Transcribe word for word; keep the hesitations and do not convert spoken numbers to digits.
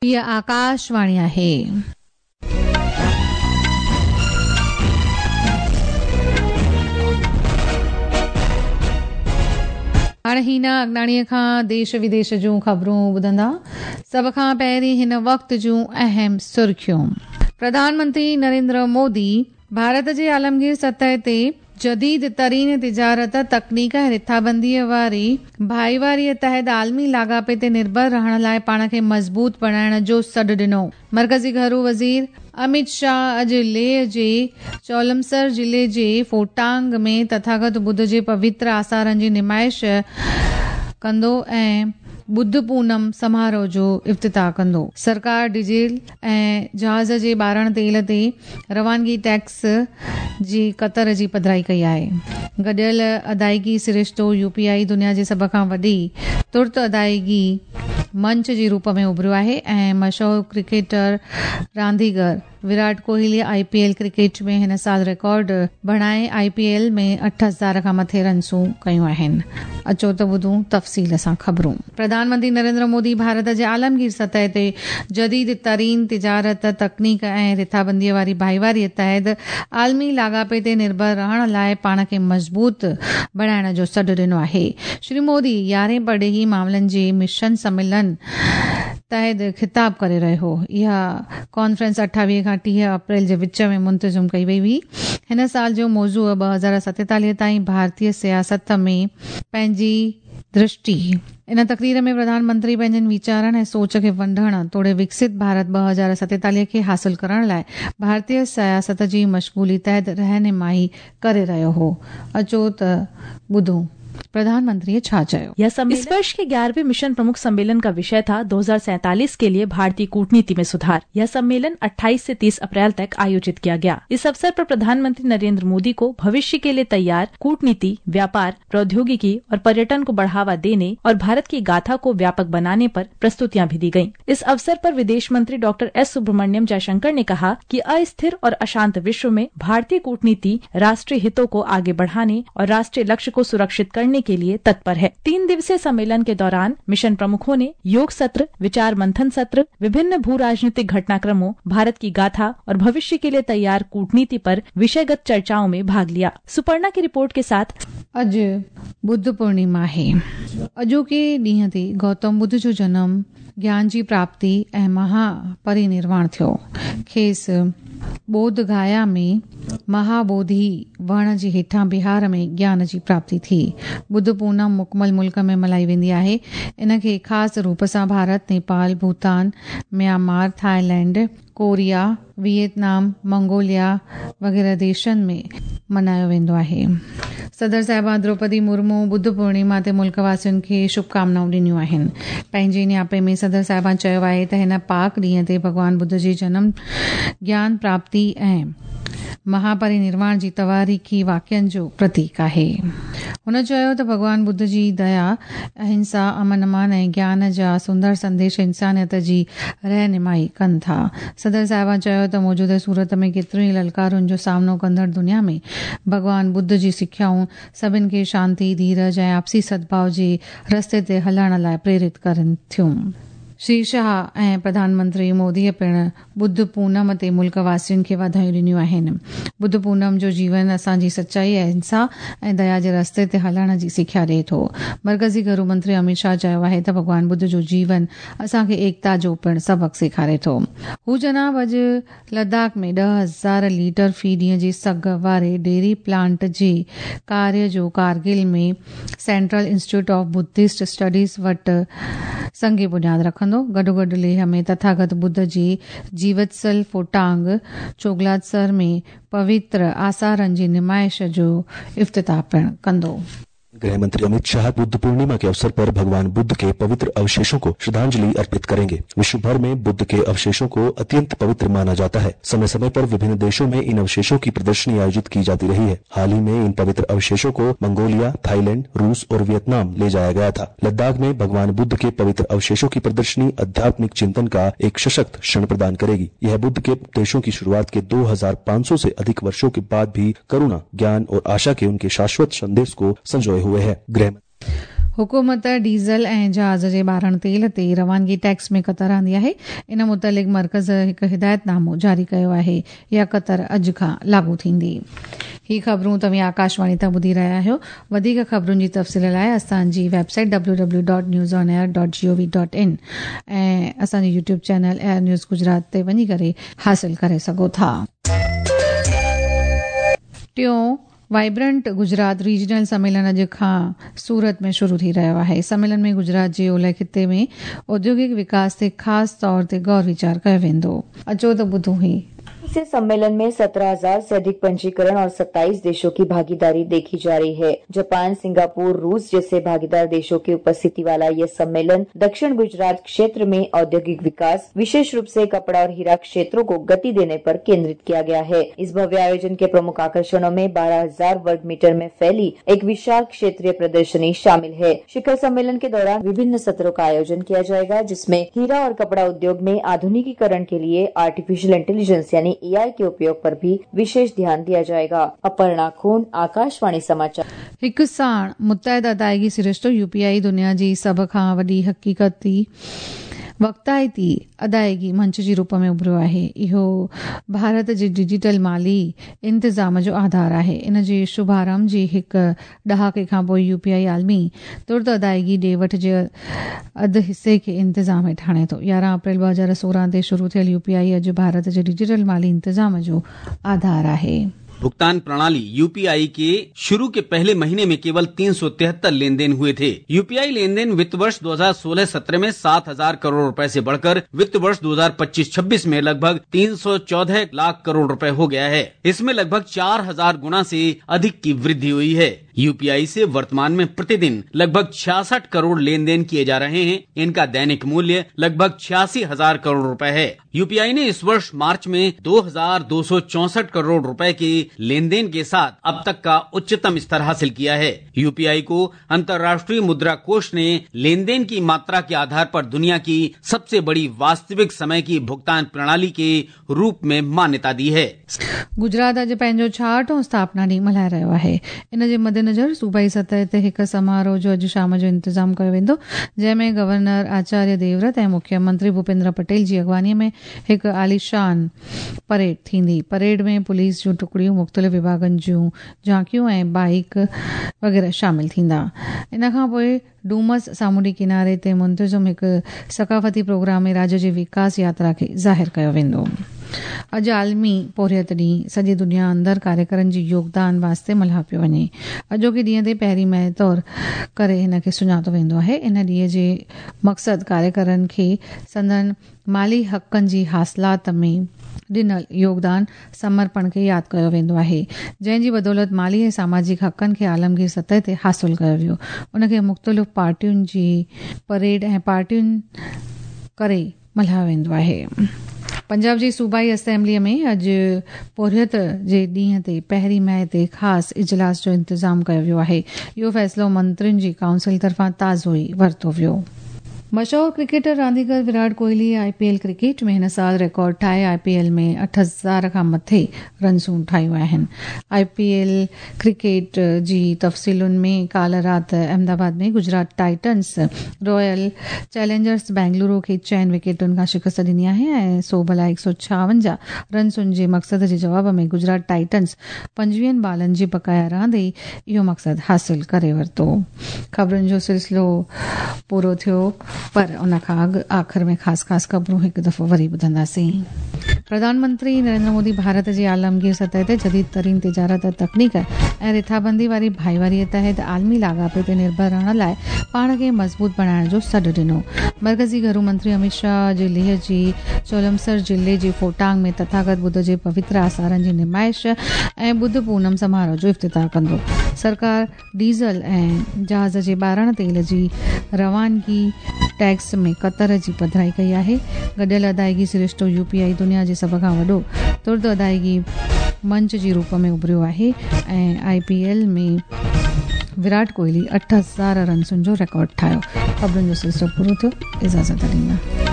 हीअ आकाशवाणी आहे। हाणे हिना अगनाणीअ खां देश विदेश जूं ख़बरूं ॿुधंदा। सभ खां पहिरीं हिन वक़्त जूं अहम सुर्खियूं। प्रधानमंत्री नरेंद्र मोदी भारत जे आलमगीर सतह ते जदीद तरीन तिजारत, तकनीक ऐं रिथाबंदीअ वारी भाईवारीअ तहत आलमी लाॻापे ते निर्भर रहण लाइ पाण खे मज़बूत बणाइण जो सॾु ॾिनो। मर्कज़ी घरू वज़ीर अमित शाह अॼु लेह जे चौलमसर ज़िले जे फोटांग में तथागत बुद्ध जे पवित्र आसारनि जी नुमाइश कंदो ऐं बुद्ध पूनम समारोह जो इफ्तिताह कंदो। सरकार डीज़ल ऐं जहाज़ जे ॿारण तेल ते रवानगी टैक्स जी कतर जी पधराई कई आहे। गॾियल अदायगी सरिश्तो यूपीआई दुनिया जे सभ खां वॾी तुर्त अदायगी मंच जे रूप में उभरियो आहे ऐं मशहूर क्रिकेटर रांदीगर विराट कोहली आईपीएल क्रिकेट में हिन साल रिकॉर्ड बणाए आईपीएल में अठ हज़ार खां मथे रनसूं कयूं आहिनि। अचो त ॿुधूं तफ़सील सां ख़बरूं। प्रधानमंत्री नरेंद्र मोदी भारत जे आलमगीर सतह ते जदीद तरीन तिजारत, तकनीक ऐं रिथाबंदीअ वारी भाईवारीअ तहत आलमी लाॻापे ते निर्भर रहण लाइ पाण खे मज़बूत बणाइण जो सॾु ॾिनो आहे। श्री मोदी यारहें परॾेही मामलनि जे मिशन सम्मेलन तहत ख़िताब करे रहियो हो। इहा कॉन्फ्रेंस अठावीह खां टीह अप्रैल जे विच में मुंतज़िम कई वई हुई। हिन साल जो मौज़ू ॿ हज़ार सतेतालीह ताईं भारतीय सियासत में पंहिंजी दृष्टि। इन तकरीर में प्रधानमंत्री पंहिंजनि वीचारनि ऐं सोच खे वंढण तोड़े विकसित भारत ॿ हज़ार सतेतालीह खे हासिल करण लाइ भारतीय सियासत जी मशगूली तहत रहनुमाई करे रहियो हो। अचो त ॿुधूं प्रधानमंत्री छा चयो। यह इस वर्ष के ग्यारहवें मिशन प्रमुख सम्मेलन का विषय था दो हजार सैंतालीस के लिए भारतीय कूटनीति में सुधार। यह सम्मेलन अट्ठाईस से तीस अप्रैल तक आयोजित किया गया। इस अवसर पर प्रधानमंत्री नरेंद्र मोदी को भविष्य के लिए तैयार कूटनीति, व्यापार, प्रौद्योगिकी और पर्यटन को बढ़ावा देने और भारत की गाथा को व्यापक बनाने पर प्रस्तुतियां भी दी गयी। इस अवसर पर विदेश मंत्री डॉक्टर एस सुब्रमण्यम जयशंकर ने कहा कि अस्थिर और अशांत विश्व में भारतीय कूटनीति राष्ट्रीय हितों को आगे बढ़ाने और राष्ट्रीय लक्ष्य को सुरक्षित करने के लिए तत्पर है। तीन दिवसीय सम्मेलन के दौरान मिशन प्रमुखों ने योग सत्र, विचार मंथन सत्र, विभिन्न भू राजनीतिक घटनाक्रमों, भारत की गाथा और भविष्य के लिए तैयार कूटनीति पर विषयगत चर्चाओं में भाग लिया। सुपर्णा की रिपोर्ट के साथ। अॼु बुद्ध पूर्णिमा आहे। अॼोके ॾींहं ते गौतम बुद्ध जो जनम, ज्ञान जी प्राप्ति ऐं महापरिनिर्वाण थियो। खेसि बोध गया में महाबोधि वण जे हेठां बिहार में ज्ञान जी प्राप्ति थी। बुद्ध पूनम मुकमल मुल्क में मल्हाई वेंदी आहे। इन खे ख़ासि रूप सां Bharat, Nepal, Bhutan, Myanmar, Thailand, Korea, Vietnam, Mongolia वग़ैरह देशनि में मल्हायो वेंदो आहे। सदर साहिबा द्रौपदी मुर्मू बुद्ध पूर्णिमा ते मुल्क वासियुनि खे शुभकामनाऊं ॾिनियूं आहिनि। पंहिंजे नियापे में सदर साहिबा चयो आहे त हिन पाक ॾींहं ते भॻवान बुद्ध जे जनम, ज्ञान प्राप्ति ऐं महापरिनिर्वाण जी तवारीख़ी वाक़ियनि जो प्रतीक आहे। हुन चयो त भॻवान बुद्ध जी दया, अहिंसा, अमन अमान ऐं ज्ञान जा सुंदर संदेश इंसानियत जी रहनुमाई कनि था। सदर साहिबा चयो त मौजूदा सूरत में केतिरियुनि ई ललकारुनि जो सामनो कंदड़ दुनिया में भॻवान बुद्ध जी सिख्याऊं सभिनि खे शांति, धीरज ऐं आपसी सद्भाव जे रस्ते ते हलण लाइ प्रेरित करनि थियूं। श्री शाह ऐं प्रधानमंत्री मोदीअ पिणु बुद्ध पूनम ते मुल्क वासियुनि खे वाधायूं ॾिनियूं आहिनि। बुद्ध पूनम जो जीवन असांजी सचाई, अहिंसा ऐं दया जे रस्ते ते हलण जी सिख्या ॾिए थो। मर्कज़ी घरू मंत्री अमित शाह चयो आहे त भॻवान बुद्ध जो जीवन असांखे एकता जो पिणु सबक़ सेखारे थो। हू जनाब अॼु लद्दाख में ॾह हज़ार लीटर फ़ी ॾींहं जी सघ वारे डेयरी प्लांट जे कार्य जो कारगिल में Central Institute of Buddhist Studies वटि संग बुनियाद रखंदो। गॾोगॾु लेह में तथागत बुद्ध जी जीवत्सल फोटांग चोगलातसर में पवित्र आसारनि जी नुमाइश जो इफ्तिताह पिणु कंदो। गृह मंत्री अमित शाह बुद्ध पूर्णिमा के अवसर पर भगवान बुद्ध के पवित्र अवशेषों को श्रद्धांजलि अर्पित करेंगे। विश्व भर में बुद्ध के अवशेषों को अत्यंत पवित्र माना जाता है। समय समय पर विभिन्न देशों में इन अवशेषों की प्रदर्शनी आयोजित की जाती रही है। हाल ही में इन पवित्र अवशेषों को मंगोलिया, थाईलैंड, रूस और वियतनाम ले जाया गया था। लद्दाख में भगवान बुद्ध के पवित्र अवशेषों की प्रदर्शनी आध्यात्मिक चिंतन का एक सशक्त क्षण प्रदान करेगी। यह बुद्ध के उपदेशों की शुरुआत के दो हजार पाँच सौ से अधिक वर्षों के बाद भी करुणा, ज्ञान और आशा के उनके शाश्वत संदेश को संजोए हुए है। गृह हुकूमत डीज़ल ऐं जहाज़ जे ॿारण तेल ते रवानगी टैक्स में कतर आंदी आहे। इन मुतालिक़ मर्कज़ हिकु हिदायतनामो जारी कयो आहे। इहा कतर अॼु खां लागू थींदी। ही ख़बरूं तव्हीं आकाशवाणी तां ॿुधी रहिया आहियो। वधीक ख़बरुनि जी तफ़सील लाइ असांजी website W W dot news on air dot G O V dot in ऐं असांजे YouTube channel air news Gujarat ते वञी करे हासिल करे सघो था। टियों वाइब्रेंट गुजरात रीजनल सम्मेलन अॼु खां सूरत में शुरू थी रहियो आहे। सम्मेलन में गुजरात जे ओलह ख़िते में औद्योगिक विकास ते ख़ासि तौर ते गौर वीचार कयो वेंदो। अचो त ॿुधूं ही। इस सम्मेलन में सत्रह हजार से अधिक पंजीकरण और सत्ताईस देशों की भागीदारी देखी जा रही है। जापान, सिंगापुर, रूस जैसे भागीदार देशों की उपस्थिति वाला यह सम्मेलन दक्षिण गुजरात क्षेत्र में औद्योगिक विकास, विशेष रूप से कपड़ा और हीरा क्षेत्रों को गति देने पर केंद्रित किया गया है। इस भव्य आयोजन के प्रमुख आकर्षणों में बारह हजार वर्ग मीटर में फैली एक विशाल क्षेत्रीय प्रदर्शनी शामिल है। शिखर सम्मेलन के दौरान विभिन्न सत्रों का आयोजन किया जाएगा, जिसमें हीरा और कपड़ा उद्योग में आधुनिकीकरण के लिए आर्टिफिशियल इंटेलिजेंस यानी ए आई के उपयोग पर भी विशेष ध्यान दिया जाएगा। अपर्णा खून, आकाशवाणी समाचार। हिकु साण मुत्तहिद अदायगी सरिश्तो यू पी I दुनिया जी सभ खां वॾी हक़ीक़ती वक़्ताइती अदायगी मंच जे रूप में उभरियो आहे। इहो भारत जे डिजिटल माली इंतज़ाम जो आधार आहे। इन जे शुभारंभ जी हिकु ॾहाके खां पोइ यू पी I आलमी तुर्त अदायगी ॾे वठ जे अधु हिसे खे इंतज़ाम हेठि आणे थो। यारहं अप्रैल ॿ हज़ार सोरहं ते शुरू थियल यू पी I अॼु भारत जे डिजिटल माली इंतज़ाम जो आधार आहे। भुगतान प्रणाली यू पी I के शुरू के पहले महीने में केवल तीन सौ तिहत्तर लेन then हुए थे। U P I lane then वित्त वर्ष दो हजार सोलह सत्रह में सात हजार करोड़ रुपए से बढ़कर वित्त वर्ष दो हजार पच्चीस छब्बीस में लगभग तीन सौ चौदह लाख करोड़ रुपए हो गया है। इसमें लगभग चार हजार गुना से अधिक की वृद्धि हुई है। यू पी I से वर्तमान में प्रतिदिन लगभग छियासठ करोड़ लेन then किए जा रहे हैं। इनका दैनिक मूल्य लगभग छियासी हजार करोड़ रुपए है। यू पी I ने इस वर्ष मार्च में दो हजार दो सौ चौसठ करोड़ रुपए के लेन then के साथ अब तक का उच्चतम स्तर हासिल किया है। यू पी I को अंतर्राष्ट्रीय मुद्रा कोष ने लेन then की मात्रा के आधार पर दुनिया की सबसे बड़ी वास्तविक समय की भुगतान प्रणाली के रूप में मान्यता दी है। गुजरात अॼु पंहिंजो छाहठों स्थापना ॾींहुं मल्हाए रहियो आहे। इन जे मद्देनज़र सूबाई सतह ते हिकु समारोह जो अॼु शाम जो इंतज़ाम कयो वेंदो, जंहिंमें गवर्नर आचार्य देवव्रत ऐं मुख्यमंत्री भूपेंद्र पटेल जी अॻुवानीअ में हिकु आलीशान परेड थींदी। परेड में पुलिस जूं टुकड़ियूं, मुख़्तलिफ़ विभागनि जूं झांकियूं ऐं बाइक वग़ैरह शामिल थींदा। इन खां पोइ डूमस सामुंडी किनारे ते मुंतज़िम हिकु सकाफ़ती प्रोग्राम में राज्य जी विकास यात्रा खे ज़ाहिर कयो वेंदो। अॼु आलमी पोरियत ॾींहुं सॼी दुनिया अंदरि कार्यकरनि जी योगदान वास्ते मल्हायो पियो वञे। अॼोके ॾींहं ते पहिरीं मई तौर करे हिन खे सुञातो वेंदो आहे। इन ॾींहं जे मक़सदु कार्यकरनि खे संदन माली हक़नि जी हासिलात में ॾिनल योगदान समर्पण खे यादि कयो वेंदो आहे, जंहिंजी बदौलत माली ऐं सामाजिक हक़नि खे आलमगीर सतह ते हासिल कयो वियो। उनखे मुख़्तलिफ़ पार्टियुनि जी परेड ऐं पार्टियुनि करे मल्हायो वेंदो आहे। पंजाब जी सूबाई असेंबलीअ में अॼु पोरियत जे ॾींहं ते पहिरीं मई ते ख़ासि इजलास जो इंतज़ाम कयो वियो आहे। इहो फ़ैसिलो मंत्रियुनि जी काउंसिल तरफ़ां ताज़ो ई वरितो वियो। मशहूर क्रिकेटर रांदीगर Virat Kohli I P L cricket में हिन साल रिकॉर्ड ठाहे I P L में अठ हज़ार खां मथे रनसूं ठाहियूं आहिनि। I P L cricket जी तफ़सीलुनि में काल्ह राति अहमदाबाद में Gujarat Titans Royal Challengers Bengaluru खे चइनि विकेटुनि खां शिकस्त ॾिनी आहे ऐं सोभ लाइ हिकु सौ छावंजाह रनसुनि जे मक़सद जे जवाब में गुजरात टाइटन्स पंजवीहनि बालनि जी बकाया रहंदे इहो मक़सदु हासिल करे वरितो। ख़बरुनि जो सिलसिलो पूरो थियो, पर उन खां अॻु आख़िर में ख़ासि ख़ासि ख़बरूं हिकु दफ़ो वरी ॿुधंदासीं। प्रधानमंत्री नरेंद्र मोदी भारत जी आलमगीर सतह ते जदीद तरीन तिजारत, तकनीक ऐं रिथाबंदी वारी भाईवारीअ तहत आलमी लाॻापे ते निर्भर रहण लाइ पाण खे मज़बूत बणाइण जो सॾु ॾिनो। मर्कज़ी घरू मंत्री अमित शाह जे लेह जी चोलमसर ज़िले जे फोटांग में तथागत बुद्ध जे पवित्र आसारनि जी नुमाइश ऐं बुद्ध पूनम समारोह जो इफ़्तिताह कंदो। सरकार डीज़ल ऐं जहाज़ जे ॿारण तेल जी रवानगी टैक्स में कतर जी पधराई कई आहे। गॾियल अदायगी सरिश्तो यू पी I दुनिया जे सभ खां वॾो तुर्त अदायगी मंच जे रूप में उभरियो आहे ऐं I P L में विराट कोहली अठ हज़ार रनसुनि जो रिकॉर्ड ठाहियो। ख़बरुनि जो सिलसिलो पूरो थियो। इजाज़त ॾींदा।